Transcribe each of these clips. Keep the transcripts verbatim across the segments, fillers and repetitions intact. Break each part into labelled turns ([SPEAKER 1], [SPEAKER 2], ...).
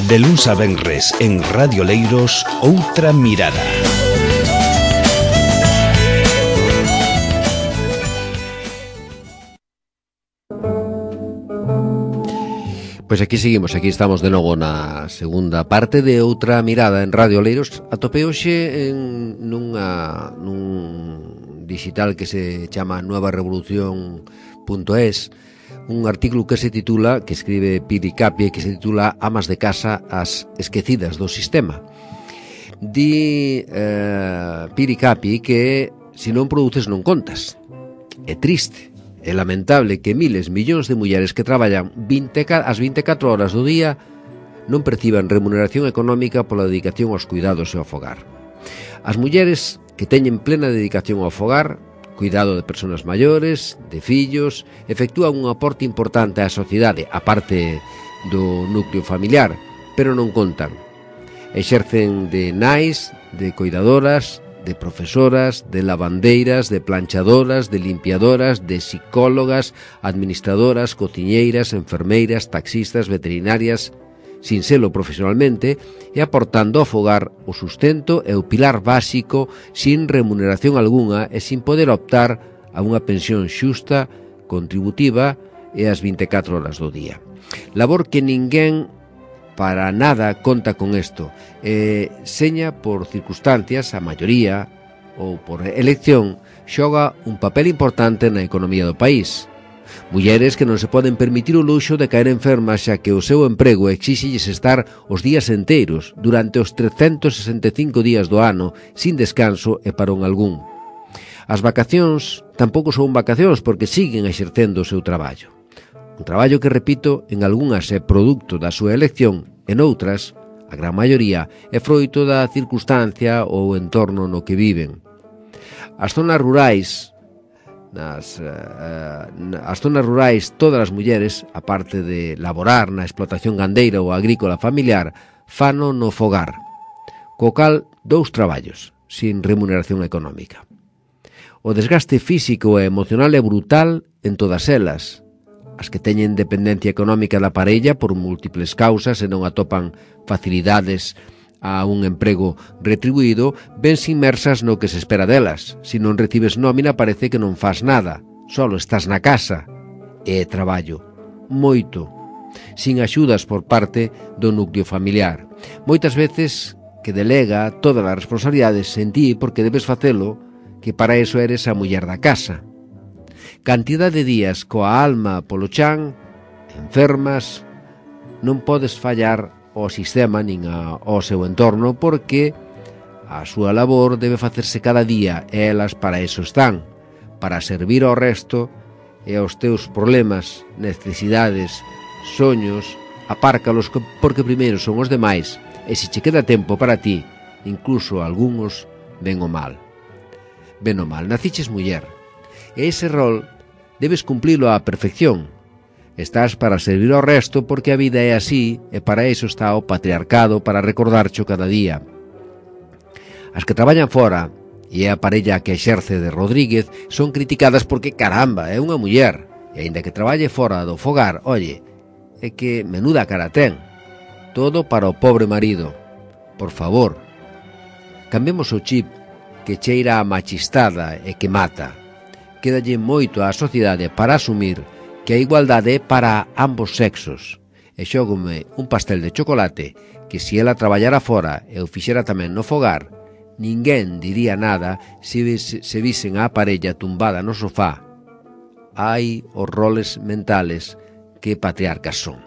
[SPEAKER 1] De luns a venres en Radio Leiros, Outra Mirada.
[SPEAKER 2] Pois aquí seguimos, aquí estamos de novo na segunda parte de Outra Mirada en Radio Leiros. Atopei hoxe en nunha, nun digital que se chama nueva revolución punto es un artículo que se titula, que escribe Piri Capi, que se titula Amas de casa as esquecidas do sistema. Di eh, Piri Capi que se non produces non contas. É triste. É lamentable que miles, millóns de mulleres que traballan vinte, as vinte e catro horas do día non perciban remuneración económica pola dedicación aos cuidados e ao fogar. As mulleres que teñen plena dedicación ao fogar, cuidado de persoas maiores, de fillos, efectúan un aporte importante á sociedade, a parte do núcleo familiar, pero non contan. Exercen de nais, de cuidadoras, de profesoras, de lavandeiras, de planchadoras, de limpiadoras, de psicólogas, administradoras, cociñeiras, enfermeiras, taxistas, veterinarias, sin selo profesionalmente, e aportando ao fogar o sustento e o pilar básico sin remuneración algunha e sin poder optar a unha pensión xusta, contributiva e as vinte e catro horas do día. Labor que ninguén para nada conta con isto. Eh, seña por circunstancias, a maioría, ou por elección, xoga un papel importante na economía do país. Mulleres que non se poden permitir o luxo de caer enfermas xa que o seu emprego exíxelles estar os días enteiros, durante os trescentos sesenta e cinco días do ano, sin descanso e parón algún. As vacacións tampouco son vacacións porque siguen exercendo o seu traballo. Un traballo que, repito, en algunhas é produto da súa elección, en outras, a gran maioría, é froito da circunstancia ou entorno no que viven. As zonas rurais, nas, uh, as zonas rurais, todas as mulleres, aparte de laborar na explotación gandeira ou agrícola familiar, fano no fogar, co cal dous traballos, sin remuneración económica. O desgaste físico e emocional é brutal en todas elas. As que teñen dependencia económica da parella por múltiples causas e non atopan facilidades a un emprego retribuído, vense inmersas no que se espera delas. Se non recibes nómina parece que non fas nada, solo estás na casa. É traballo, moito, sin axudas por parte do núcleo familiar. Moitas veces que delega todas as responsabilidades en ti porque debes facelo, que para iso eres a muller da casa. Cantidade de días coa alma polo chan, enfermas, non podes fallar ao sistema nin ao seu entorno porque a súa labor debe facerse cada día e elas para eso están, para servir ao resto e aos teus problemas, necesidades, soños, apárcalos porque primeiro son os demais e se che queda tempo para ti, incluso algúns ven o mal. Ben o mal, naciches muller. E ese rol debes cumplilo á perfección. Estás para servir ao resto porque a vida é así e para iso está o patriarcado para recordarcho cada día. As que traballan fora e é a parella que exerce de Rodríguez son criticadas porque, caramba, é unha muller e aínda que traballe fora do fogar, oye, é que menuda cara ten. Todo para o pobre marido. Por favor, cambiemos o chip que cheira a machistada e que mata. Quédalle moito á sociedade para asumir que a igualdade é para ambos sexos. E xógome un pastel de chocolate que se ela traballara fora e o fixera tamén no fogar, ninguén diría nada se, se visen a parella tumbada no sofá. Hai os roles mentales que patriarcas son.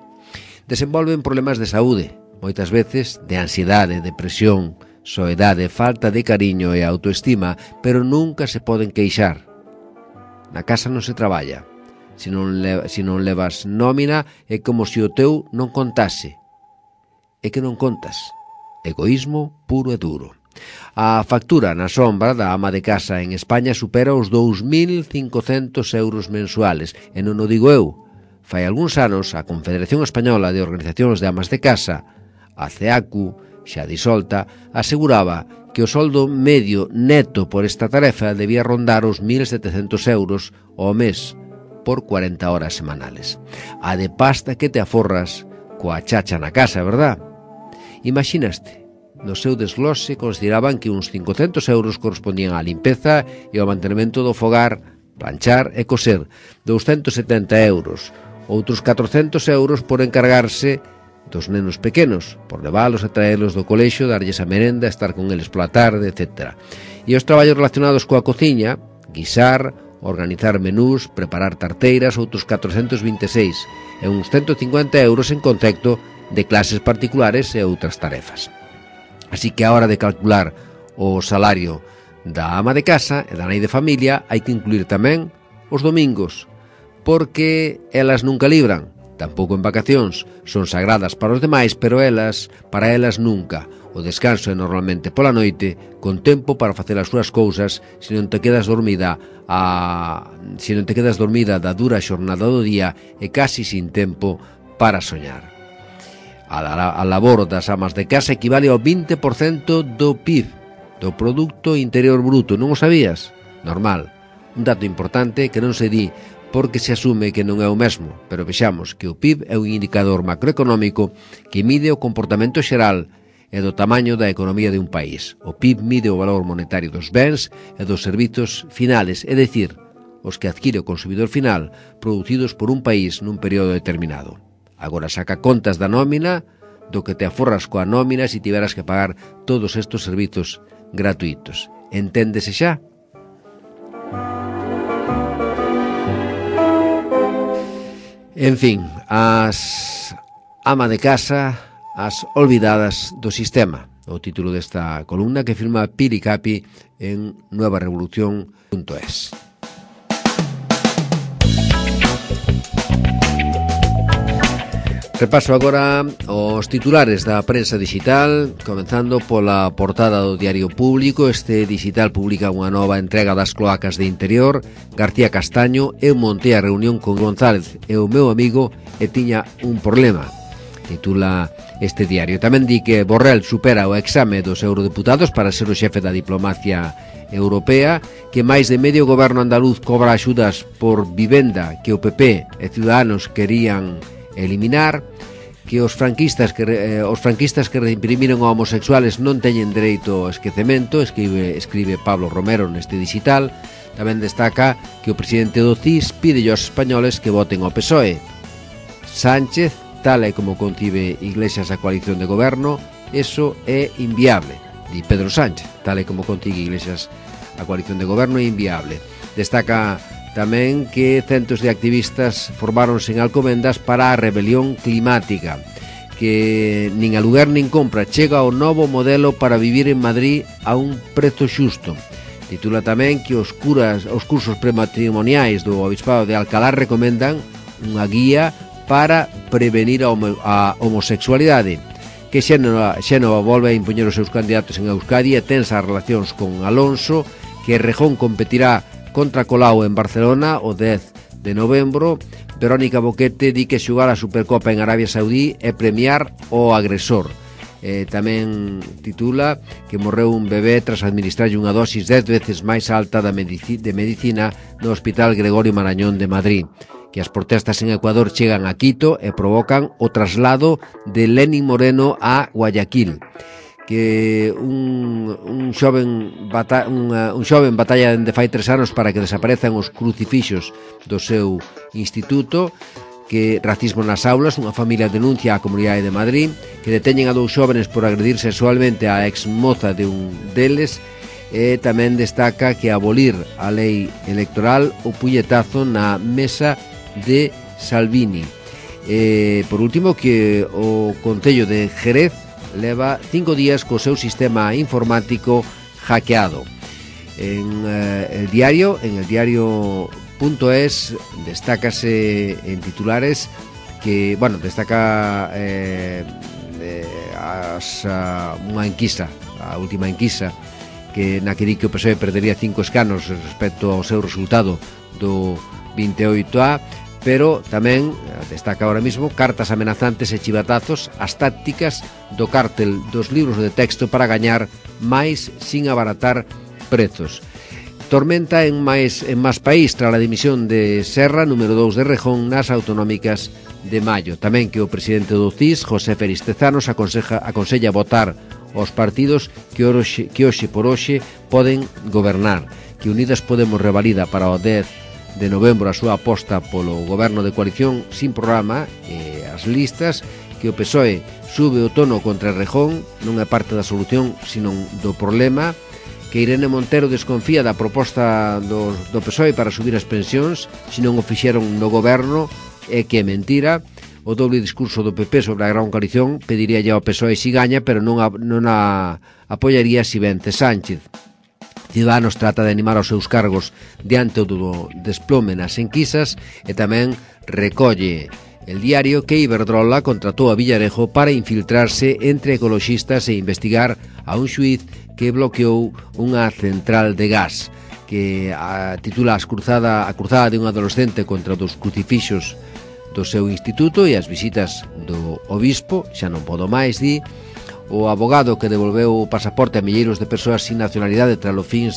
[SPEAKER 2] Desenvolven problemas de saúde, moitas veces de ansiedade, depresión, soedade, falta de cariño e autoestima, pero nunca se poden queixar. Na casa non se traballa. Se non, le, se non levas nómina é como se o teu non contase. É que non contas. Egoísmo puro e duro. A factura na sombra da ama de casa en España supera os dous mil cincocentos euros mensuales. E non o digo eu. Fai algúns anos a Confederación Española de Organizacións de Amas de Casa, a CEACU, xa disolta, aseguraba que o soldo medio neto por esta tarefa debía rondar os mil setecentos euros ao mes por cuarenta horas semanales. A de pasta que te aforras coa chacha na casa, verdad? Imaginaste, no seu desglose consideraban que uns cincocentos euros correspondían á limpeza e ao mantenimento do fogar, planchar e coser, douscentos e setenta euros, outros catrocentos euros por encargarse dos nenos pequenos, por leválos e traelos do colexio, darlles a merenda, estar con eles pola tarde, etcétera. E os traballos relacionados coa cociña, guisar, organizar menús, preparar tarteiras, outros catrocentos vinte e seis, e uns ciento cincuenta euros en concepto de clases particulares e outras tarefas. Así que a hora de calcular o salario da ama de casa e da nai de familia hai que incluir tamén os domingos, porque elas nunca libran, tampouco en vacacións, son sagradas para os demais, pero elas, para elas nunca. O descanso é normalmente pola noite, con tempo para facer as súas cousas, se non te quedas dormida a... se non te quedas dormida da dura xornada do día e casi sin tempo para soñar. A, la, a labor das amas de casa equivale ao vinte por cento do P I B, do Producto Interior Bruto, non o sabías? Normal. Un dato importante que non se di porque se asume que non é o mesmo, pero vexamos que o P I B é un indicador macroeconómico que mide o comportamento xeral e do tamaño da economía de un país. O P I B mide o valor monetario dos bens e dos servizos finales, é dicir, os que adquire o consumidor final producidos por un país nun período determinado. Agora saca contas da nómina, do que te aforras coa nómina se tiveras que pagar todos estes servizos gratuitos. Enténdese xa? En fin, as ama de casa, as olvidadas do sistema, o título desta columna que firma Pili Capi en nueva revolución punto es. Repaso agora os titulares da prensa digital, comenzando pola portada do Diario Público. Este digital publica unha nova entrega das cloacas de Interior. García Castaño: eu montei a reunión con González e o meu amigo e tiña un problema, titula este diario. Tamén di que Borrell supera o exame dos eurodeputados para ser o xefe da diplomacia europea, que máis de medio goberno andaluz cobra axudas por vivenda que o P P e Ciudadanos querían eliminar, que os franquistas que eh, os franquistas que reprimiron a homosexuales non teñen dereito ao esquecemento, escribe, escribe Pablo Romero neste digital. Tamén destaca que o presidente do C I S pide aos españoles que voten ao P S O E. Sánchez: tal e como concibe Iglesias a coalición de goberno, eso é inviable. Di Pedro Sánchez: tal e como concibe Iglesias a coalición de goberno é inviable. Destaca tamén que centos de activistas formáronse en Alcobendas para a rebelión climática, que nin aluguer nin compra, chega o novo modelo para vivir en Madrid a un prezo xusto. Titula tamén que os curas, os cursos prematrimoniais do Obispado de Alcalá recomendan unha guía para prevenir a, homo, a homosexualidade, que Xénova, Xénova volve a impoñer os seus candidatos en Euskadi e tensa as relacións con Alonso, que Rejón competirá contra Colau en Barcelona o dez de novembro. Verónica Boquete di que xogar a Supercopa en Arabia Saudí é premiar o agresor. Eh, tamén titula que morreu un bebé tras administrarlle unha dosis dez veces máis alta da medici, de medicina no Hospital Gregorio Marañón de Madrid. Que as protestas en Ecuador chegan a Quito e provocan o traslado de Lenín Moreno a Guayaquil. Que un, un xoven bata, unha, un xoven batalla dende fai tres anos para que desaparezan os crucifixos do seu instituto. Que racismo nas aulas, unha familia denuncia á Comunidade de Madrid. Que deteñen a dous xóvenes por agredir sexualmente a exmoza de un deles. E tamén destaca que abolir a lei electoral o puñetazo na mesa de Salvini. E, por último, que o Concello de Jerez leva cinco días co seu sistema informático hackeado. En eh, el diario, en el diario punto es, destácase en titulares que, bueno, destaca eh, eh, as, uh, unha enquisa, a última enquisa, que na que di que o P S O E perdería cinco escanos respecto ao seu resultado do vinte e oito A, pero tamén destaca ahora mismo cartas amenazantes e chivatazos, as tácticas do cártel dos libros de texto para gañar máis sin abaratar prezos. Tormenta en máis en máis país tras a dimisión de Serra, número dous de Rejón, nas autonómicas de maio. Tamén que o presidente do C I S, José Félix Tezanos, aconseja, aconsella votar os partidos que hoxe, que hoxe por hoxe poden gobernar, que Unidas Podemos revalida para o dez de novembro a súa aposta polo goberno de coalición sin programa e as listas, que o P S O E sube o tono contra Rejón, non é parte da solución, sino do problema, que Irene Montero desconfía da proposta do, do P S O E para subir as pensións, se non o fixeron no goberno, é que é mentira. O doble discurso do P P sobre a gran coalición pediría ya ao P S O E si gaña, pero non a, non a apoyaría si vence Sánchez. Ciudadanos trata de animar aos seus cargos diante do desplome nas enquisas e tamén recolle el diario que Iberdrola contratou a Villarejo para infiltrarse entre ecoloxistas e investigar a un xuíz que bloqueou unha central de gas, que a, titula as cruzada, a cruzada de un adolescente contra dos crucifixos do seu instituto e as visitas do obispo. Xa non podo máis, di. O abogado que devolveu o pasaporte a milleiros de persoas sin nacionalidade tras o fin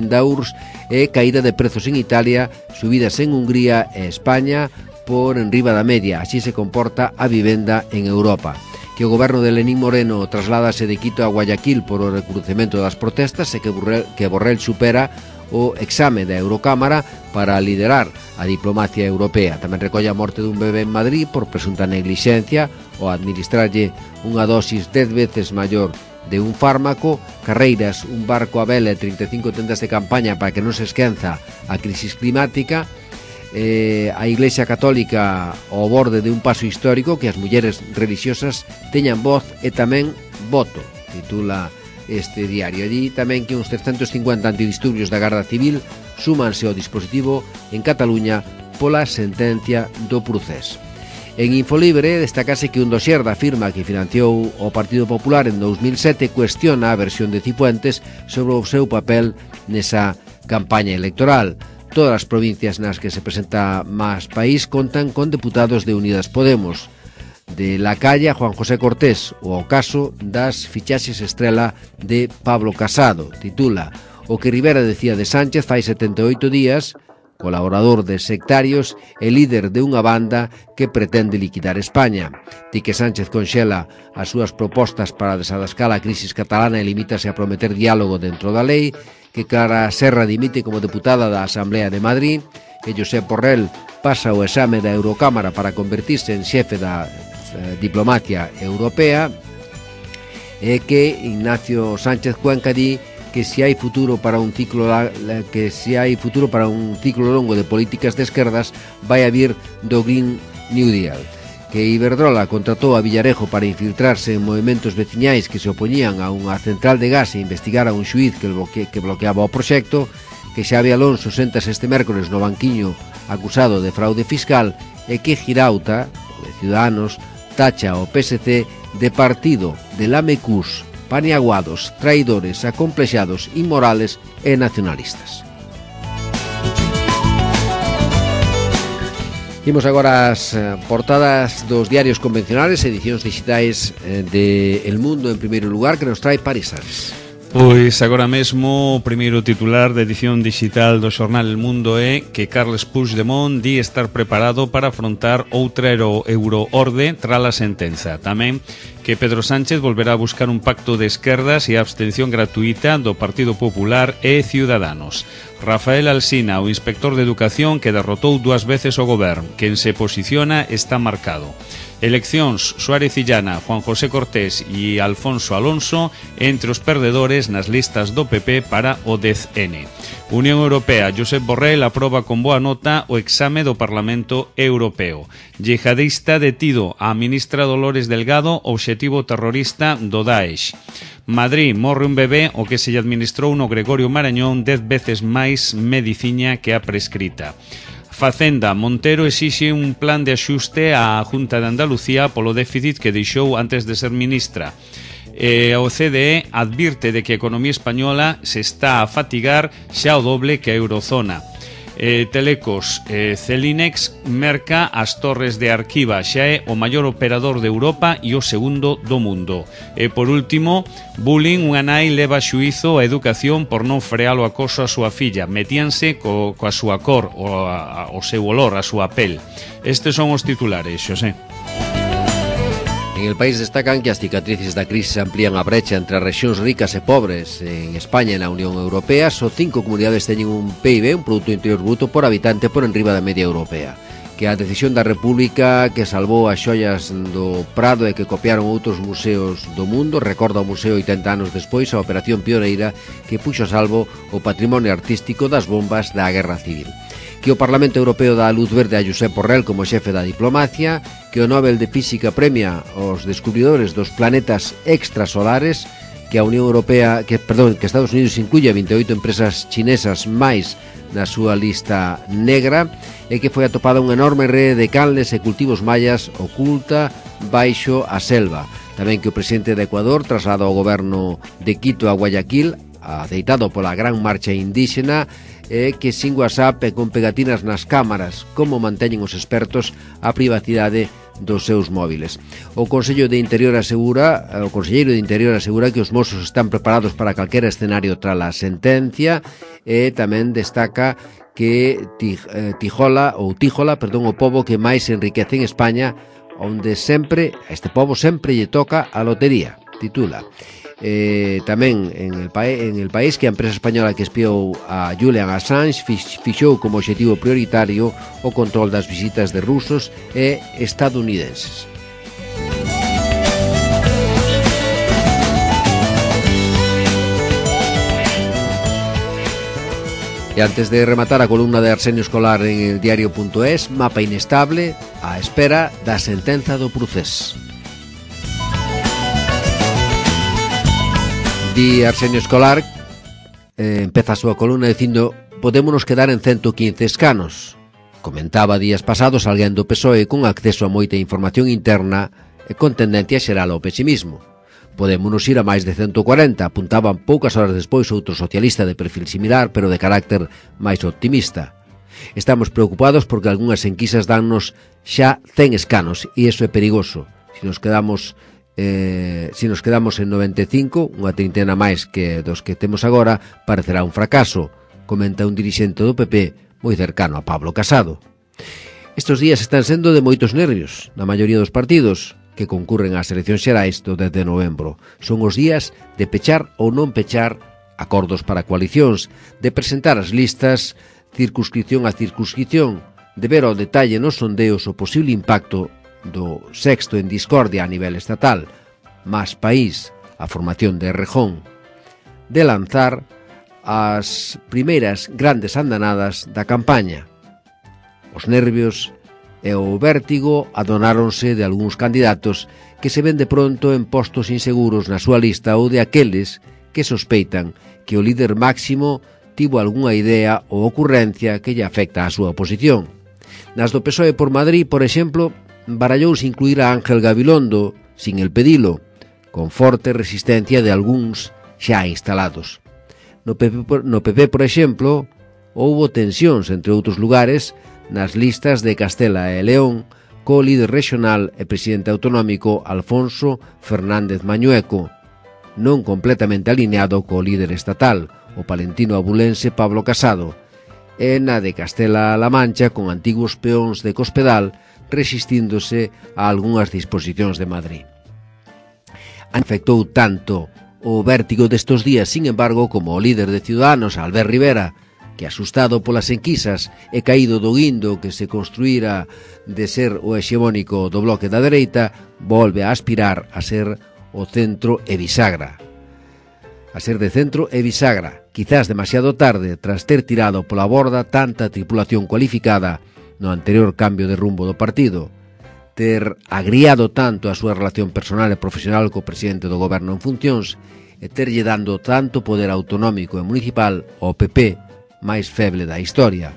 [SPEAKER 2] da U R S S e caída de prezos en Italia, subidas en Hungría e España por enriba da media. Así se comporta a vivenda en Europa. Que o goberno de Lenín Moreno trasládase de Quito a Guayaquil por o recrudecemento das protestas e que Borrell, que Borrell supera o exame da Eurocámara para liderar a diplomacia europea. Tamén recolle a morte dun bebé en Madrid por presunta neglixencia ou administrarlle unha dosis dez veces maior de un fármaco. Carreiras, un barco a vela e trinta e cinco tendas de campaña para que non se esquenza a crisis climática. Eh, a Iglesia Católica ao borde de un paso histórico, que as mulleres religiosas teñan voz e tamén voto, titula este diario. Allí tamén que uns trescentos cincuenta antidisturbios da Garda Civil súmanse ao dispositivo en Cataluña pola sentencia do Procés. En Infolibre destacase que un dosier da firma que financiou o Partido Popular en dous mil sete cuestiona a versión de Cifuentes sobre o seu papel nesa campaña electoral. Todas as provincias nas que se presenta máis país contan con deputados de Unidas Podemos. De La Calle a Juan José Cortés, o ao caso das fichaxes estrela de Pablo Casado, titula o que Rivera decía de Sánchez fai setenta e oito días, colaborador de sectarios e líder de unha banda que pretende liquidar España. Di que Sánchez conxela as súas propostas para desadascar a crisis catalana e limítase a prometer diálogo dentro da lei, que Clara Serra dimite como deputada da Asamblea de Madrid, que Josep Borrell pasa o exame da Eurocámara para convertirse en xefe da eh, diplomacia europea, e que Ignacio Sánchez Cuenca di que se hai futuro para un ciclo que se hai futuro para un ciclo longo de políticas de esquerdas vai a vir do Green New Deal. Que Iberdrola contratou a Villarejo para infiltrarse en movimentos veciñais que se opoñían a unha central de gas e investigar a un xuíz que, bloque, que bloqueaba o proxecto. Que Xavi Alonso séntase este mércores no banquiño acusado de fraude fiscal e que Girauta, de Ciudadanos, tacha o P S C de partido de lamecús, paniaguados, traidores, acomplexados, inmorales e nacionalistas. Imos agora as portadas dos diarios convencionales, edicións digitais de El Mundo en primeiro lugar, que nos trae Paris Ares.
[SPEAKER 3] Pois agora mesmo o primeiro titular da edición digital do xornal El Mundo é que Carles Puigdemont di estar preparado para afrontar outra euroorde tras a sentenza. Tamén que Pedro Sánchez volverá a buscar un pacto de esquerdas e a abstención gratuita do Partido Popular e Ciudadanos. Rafael Alsina, o inspector de Educación que derrotou dúas veces o goberno, quen se posiciona está marcado. Eleccións, Suárez Illana, Juan José Cortés e Alfonso Alonso entre os perdedores nas listas do P P para o dez ene. Unión Europea, Josep Borrell aproba con boa nota o exame do Parlamento Europeo. Yihadista detido a ministra Dolores Delgado, obxectivo terrorista do Daesh. Madrid, morre un bebé o que se lle administrou no Gregorio Marañón dez veces máis mediciña que a prescrita. Facenda, Montero exixe un plan de axuste á Junta de Andalucía polo déficit que deixou antes de ser ministra. E o C D E advirte de que a economía española se está a fatigar xa o doble que a eurozona. Eh, Telecos, eh, Celinex merca as torres de Arquiva, xa é o maior operador de Europa e o segundo do mundo. E por último, bullying, unha nai leva a xuízo a educación por non frear o acoso a súa filla, metíanse co, coa súa cor, o, a, o seu olor, a súa pel. Estes son os titulares, Xosé.
[SPEAKER 2] En el país destacan que as cicatrices da crise amplían a brecha entre as rexións ricas e pobres. En España e na Unión Europea só cinco comunidades teñen un P I B, un Produto Interior Bruto por habitante, por enriba da media europea. Que a decisión da República que salvou as xoias do Prado e que copiaron outros museos do mundo, recorda o museo oitenta anos despois a operación pioneira que puxo a salvo o patrimonio artístico das bombas da Guerra Civil. Que o Parlamento Europeo dá a luz verde a Josep Borrell como xefe da diplomacia, que o Nobel de Física premia os descubridores dos planetas extrasolares, que a Unión Europea, que perdón, que Estados Unidos incluye a vinte e oito empresas chinesas máis na súa lista negra, e que foi atopada unha enorme rede de canles e cultivos mayas oculta baixo a selva. Tamén que o presidente de Ecuador traslada ao goberno de Quito a Guayaquil, aceitado pola gran marcha indígena, e que sin WhatsApp e con pegatinas nas cámaras, como manteñen os expertos a privacidade dos seus móviles. O Consello de Interior asegura, o Conselleiro de Interior asegura que os mozos están preparados para calquera escenario tras a sentencia, e tamén destaca que Tijola, ou Tíjola, perdón, o pobo que máis se enriquece en España, onde sempre, a este pobo sempre lle toca a lotería, titula. Eh, tamén en el, en el país que a empresa española que espiou a Julian Assange fixou como obxectivo prioritario o control das visitas de rusos e estadounidenses. E antes de rematar a columna de Arsenio Escolar en el diario punto es, mapa inestable á espera da sentenza do Procés. Di Arsenio Escolar, eh, empeza a súa columna dicindo: podémonos quedar en ciento quince escanos. Comentaba días pasados alguén do P S O E con acceso a moita información interna e con tendencia xeral ao pesimismo. Podémonos ir a máis de ciento cuarenta, apuntaban poucas horas despois outro socialista de perfil similar, pero de carácter máis optimista. Estamos preocupados porque algunhas enquisas dannos xa cen escanos e iso é perigoso. Se nos quedamos Eh, se nos quedamos en noventa e cinco, unha trintena máis que dos que temos agora, parecerá un fracaso, comenta un dirixente do P P moi cercano a Pablo Casado. Estes días están sendo de moitos nervios na maioría dos partidos que concurren ás eleccións xerais do dez de novembro. Son os días de pechar ou non pechar acordos para coalicións, de presentar as listas circunscripción a circunscripción, de ver ao detalle nos sondeos o posible impacto do sexto en discordia a nivel estatal, Más País, a formación de Errejón, de lanzar as primeiras grandes andanadas da campaña. Os nervios e o vértigo adonáronse de algúns candidatos que se ven de pronto en postos inseguros na súa lista ou de aqueles que sospeitan que o líder máximo tivo algunha idea ou ocurrencia que lle afecta a súa oposición. Nas do P S O E por Madrid, por exemplo, barallouse incluir a Ángel Gabilondo, sin el pedilo, con forte resistencia de algúns xa instalados. No P P, no P P, por exemplo, houbo tensións, entre outros lugares, nas listas de Castela e León, co líder regional e presidente autonómico Alfonso Fernández Mañueco, non completamente alineado co líder estatal, o palentino abulense Pablo Casado, e na de Castela-La Mancha, con antigos peóns de Cospedal, resistíndose a algunhas disposicións de Madrid. Afectou tanto o vértigo destos días, sin embargo, como o líder de Ciudadanos, Albert Rivera, que asustado polas enquisas e caído do guindo que se construíra de ser o hexemónico do bloque da dereita, volve a aspirar a ser o centro e bisagra. A ser de centro e bisagra, quizás demasiado tarde, tras ter tirado pola borda tanta tripulación cualificada no anterior cambio de rumbo do partido, ter agriado tanto a súa relación personal e profesional co presidente do goberno en funcións e terlle dando tanto poder autonómico e municipal ao P P máis feble da historia.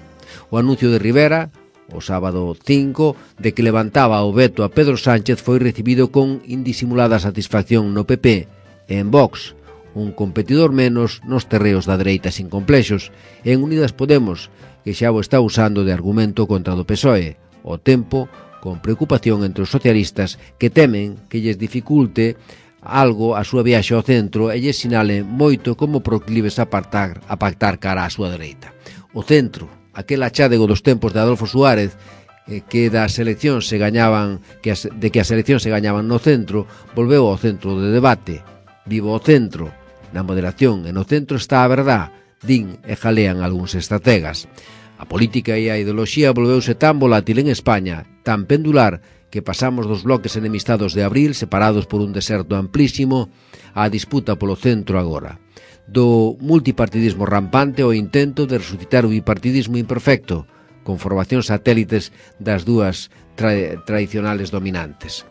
[SPEAKER 2] O anuncio de Rivera, o sábado cinco, de que levantaba o veto a Pedro Sánchez foi recibido con indisimulada satisfacción no P P e en Vox, un competidor menos nos terreos da dereita sin complexos, e en Unidas Podemos, que xa o está usando de argumento contra do P S O E, o tempo con preocupación entre os socialistas que temen que lles dificulte algo a súa viaxe ao centro e lles sinale moito como proclives a pactar, a pactar cara á súa dereita. O centro, aquel achádego dos tempos de Adolfo Suárez, eh, que das eleccións se gañaban, que as, de que as eleccións se gañaban no centro, volveu ao centro de debate. Vivo o centro, na moderación e no centro está a verdad, din e jalean algúns estrategas. A política e a ideoloxía volveuse tan volátil en España, tan pendular, que pasamos dos bloques enemistados de abril, separados por un deserto amplísimo, á disputa polo centro agora. Do multipartidismo rampante ao intento de resucitar o bipartidismo imperfecto, con formacións satélites das dúas tra tradicionales dominantes.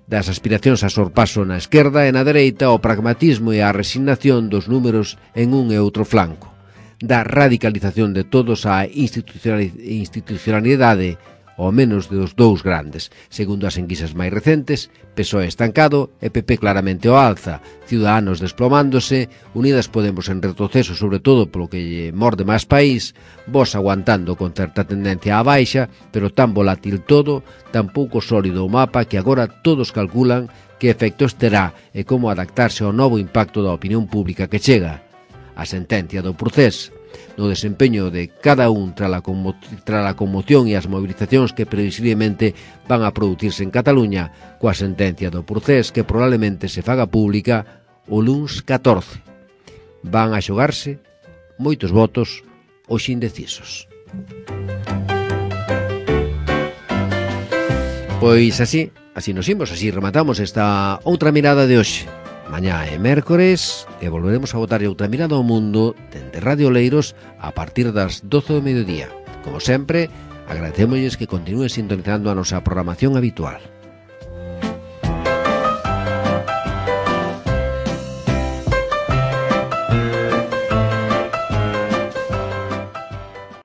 [SPEAKER 2] Das aspiracións a sorpaso na esquerda e na dereita, ao pragmatismo e á resignación dos números en un e outro flanco. Da radicalización de todos á institucionalidade, ao menos dos dous grandes. Segundo as enquisas máis recentes, P S O E estancado e P P claramente ao alza, Ciudadanos desplomándose, Unidas Podemos en retroceso sobre todo polo que lle morde máis país, Vox aguantando con certa tendencia á baixa, pero tan volátil todo, tan pouco sólido o mapa que agora todos calculan que efectos terá e como adaptarse ao novo impacto da opinión pública que chega. A sentencia do Procés, no desempeño de cada un tras a, tra a conmoción e as movilizacións que previsiblemente van a producirse en Cataluña, coa sentencia do Procés que probablemente se faga pública o luns catorce. Van a xogarse moitos votos os indecisos. Pois así, así nos imos, así rematamos esta outra mirada de hoxe. Mañá é mércores e volveremos a botar outra mirada ao mundo dende Radio Leiros a partir das doce do mediodía. Como sempre, agradecémosles que continúen sintonizando a nosa programación habitual.